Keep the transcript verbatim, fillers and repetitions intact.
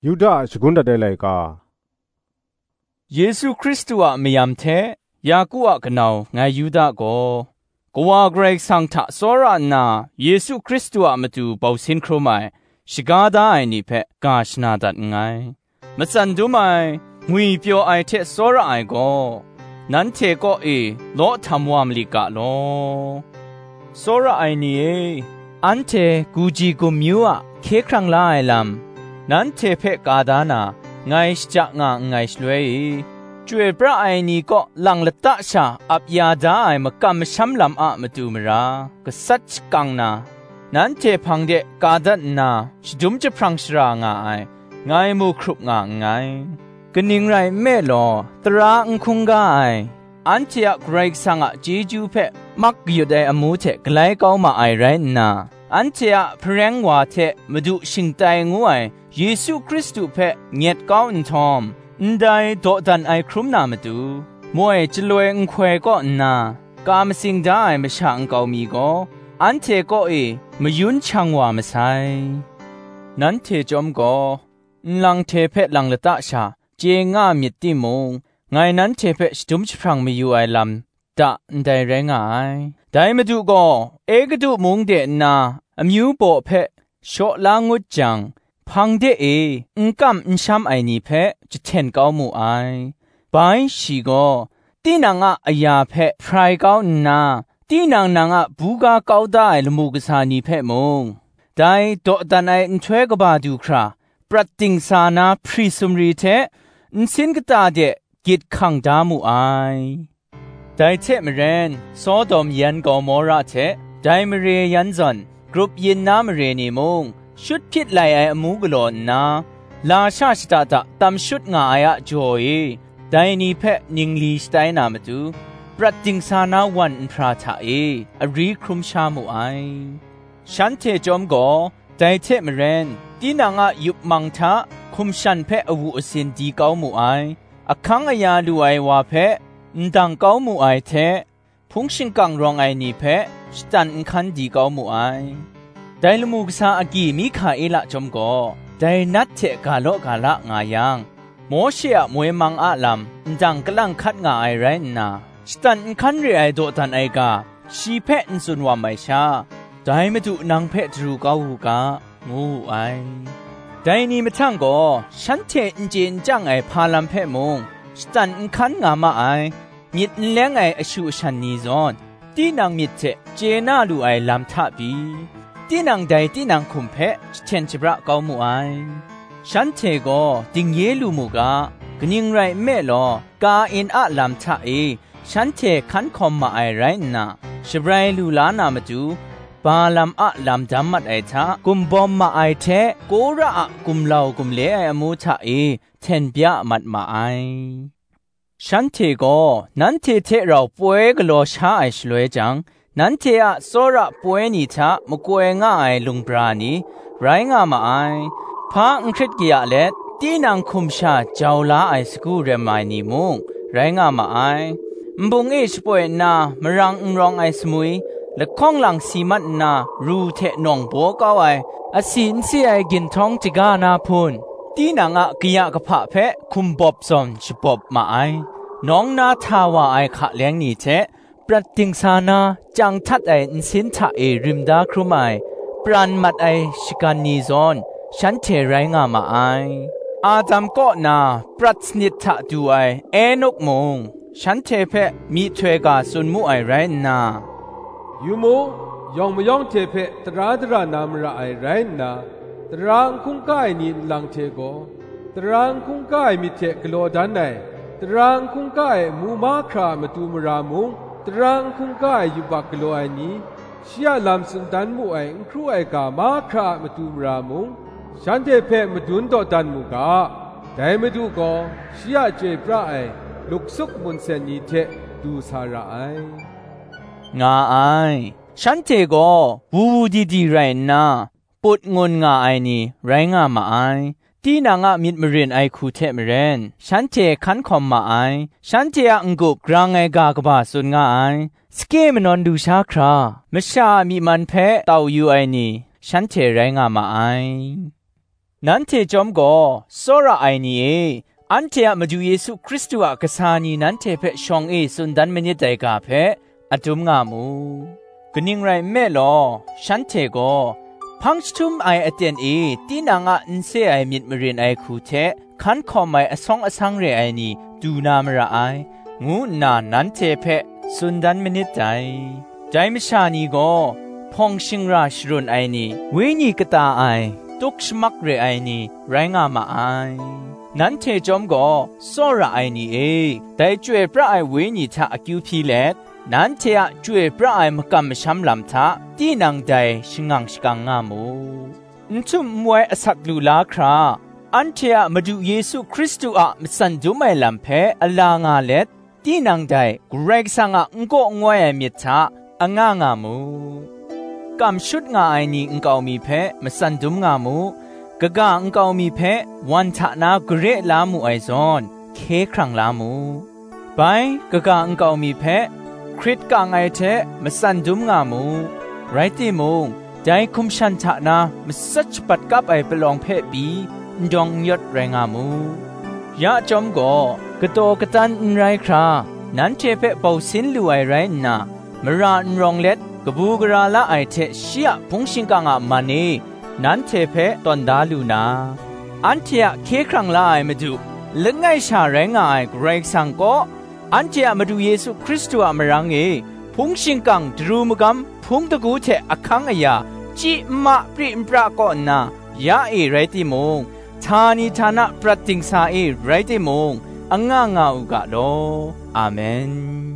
Yuda a shagun dat ai laika. Yesu Hkristu a mayam hte Yaku a kanau ngai Yuda gaw, Kawa Karai Kasang hta tsawra nna Yesu Hkristu a matu bau sin hkrum ai, shaga da ai ni hpe ga shana dat nngai. Matsan dum ai, ngwipyaw ai hte tsawra ai gaw, nanhte kaw e law htam wa malit ga law. Tsawra ai ni e, anhte guji gumyu a hkye hkrang la ai lam, nanhte hpe ka da na, ngai shaja nga nngai shaloi e, chyoi pra ai ni kaw lang lata sha ap ya da ai makam masham lam a matu mara, gasat shakang na, nanhte hpang de ka dat nna, shadum jahprang shara nga ai, ngai mu hkrup nga nngai. Kaning rai nme law, tara n hkungga ai, anhte a Karai Kasang a chyeju hpe mak kayut ai amu hte galai kau ma ai rai nna, anhte a hpareng wa hte Madu shingtai ngu ai Yesu Hkristu hpe nyet kau nhtawm, ndai dawdan ai hkrum na matu, moi chyaloi nhkoi kaw nna, ka matsing da ai masha nkau mi gaw, anhte kaw e mayun shang wa masai. Nanhte chyawm gaw, nlang hte hpe lang lata sha chye nga myit timung, ngai nanhte hpe shadum jahprang mayu ai lam da ndai rai nga ai. Dai Madu gaw Egutu mung de nna amyu baw hpe shaw la ngut jang, hpang de e n kam n sham ai ni hpe jahten kau mu ai. Bai shi gaw, tinang a aya hpe hprai kau nna, tinang nang a buga kau da ai lamu kasa ni hpe mung, dai dawdan ai nhtoi kaba du hkra, prat dingsa na hpri sumri hte nsin kata de gyit hkang da mu ai. Dai hte maren, Sodom yan Gomora hte dai mare yan zawn grup yin na mare ni mung, shut hpyit lai ai amu galaw nna, lasha shada da tam shut nga ai a jaw e, dai ni hpe ningli shatai na matu, prat dingsa na wan nhpra hta e ari hkrum sha mu ai. Shanhte chyawm gaw, dai hte maren, tinang a yup mang hta hkum shan hpe awu asin di kau mu ai, ahkang aya lu ai wa hpe ndang kau mu ai hte, hpung shingkang rawng ai ni hpe shatan nhkan di kau mu ai. Dai lamu kasa agyi Mihkaila chyawm gaw, dai nat hte ga law ga la nga yang, Mawshe a moi mang a lam ndang kalang hkat nga ai rai nna, shatan nhkan re ai dawdan ai ga, shi hpe n tsun wam ai sha, dai Madu nang hpe daru kau u ga, ngu wu ai. Dai ni mahtang gaw, shanhte n chye n chyang ai hpa lam hpe mung, shatan nhkan nga ma ai, myit n leng ai ashu ashan ni zawn, tinang myit hte chye na lu ai lam hta pyi, tinang dai tinang hkum hpe jahten shabra kau mu ai. Shanhte gaw dingye lu mu ga, kaning rai nme law, Kain a lam hta e shanhte hkan hkawm ma ai rai nna, shabrai lu la na matu, Balaam a lam dam mat ai hta gum bawm ma ai hte, Kora a gumlau gumle ai amu hta e hten bya mat ma ai. Shanhte gaw nanhte hte rau poi galaw sha ai shaloi jang, nanhte a tsawra poi ni hta makoi nga ai lung bra ni rai nga ma ai. Hpa n hkrit kaya let, tinang hkum sha jau la ai sagu rem ai ni mung rai nga ma ai. Nbung e shapoi nna marang n rawng ai sumwi, lahkawng lang si mat nna ru hte nawng baw kau ai, asi n si ai ginhtawng htaga na hpun, tinang a kaya kahpa hpe hkum bawp zawn shabawp ma ai. Nawng na hta wa ai hka leng ni hte, prat dingsa na chyang htat ai nsin hta e rim da hkrum ai, pran mat ai shagan ni zawn shanhte rai nga ma ai. Adam kaw na prat sanit hta du ai Enok mung, shanhte hpe myihtoi ga tsun mu ai rai nna, Yu mu, yawng mayawng hte hpe tara dara na mara ai rai nna, tara n hkungga ai ni nlang hte gaw, tara n hkungga ai myit hte galaw dan ai, tara n hkungga ai amu mahkra a matu mara mung, tara n hkungga ai yubak galaw ai ni, shi a lam tsun dan mu ai n hkru ai ga mahkra a matu mara mung, shanhte hpe madun dawdan mu ga, dai Madu gaw shi a chyoi pra ai luksup munsen ni hte du sa ra ai, nga ai. Shanhte gaw wu wu di di rai nna, put ngun nga ai ni rai nga ma ai. Tinang a myit marin ai hku hte maren, shanhte hkan hkawm ma ai. Shanhte a n-gup grang ai ga kaba tsun nga ai. Sakyip manawn lu sha hkra, masha a myi man hpe tau yu ai ni, shanhte rai nga ma ai. Nanhte chyawm gaw, tsawra ai ni e, anhte a Madu Yesu Hkristu a kasa ni nanhte hpe shawng e tsun dan manit dai ga hpe adum nga mu. Kaning rai nme law, shanhte gaw, hpang jahtum ai aten e tinang a n se ai myit marin ai hku hte hkan hkawm ai asawng asang re ai ni du na mara ai, ngu nna nanhte hpe tsun dan manit dai. Dai masha ni gaw, hpawng shingra sharun ai ni, wenyi kata ai, tuk shamak re ai ni, rai nga ma ai. Nanhte chyawm gaw, tsawra ai ni e, dai Chyoi pra ai Wenyi hta akyu hpyi let, nanhte a chyoi pra ai makam masham lam hta, tinang dai shangang shakang nga mu. N htum n wai asak lu la hkra, anhte a Madu Yesu Hkristu a matsan dum ai lam hpe ala nga let, tinang dai Karai Kasang a n kaw n wai ai myit hta anga nga mu. Kam shut nga ai ni nkau mi hpe matsan dum nga mu. Kaga nkau mi hpe wan hta na gare la mu ai zawn, hkye hkrang la mu. Bai, kaga nkau mi hpe hkrit kang ai hte matsan dum nga mu. Rai timung, dai hkum shan hta na matsat shapat kap ai palawng hpe pyi, n dawng n yawt rai nga mu. Ya chyawm gaw, kataw katan n rai hkra, nanhte hpe bau sin lu ai rai nna, mara n rawng let, kabu gara la ai hte shi a hpung shingkang a man e, nanhte hpe tawn da lu na, anhte a hkye hkrang la ai Madu, langai sha rai nga ai Karai Kasang kaw, anhte a Madu Yesu Hkristu a marang e hpung shingkang daru magam hpung dagu hte ahkang aya, chyi nma pri npra kaw nna, ya e rai timung, htani htana prat dingsa e rai timung, anga nga u ga law. Amen.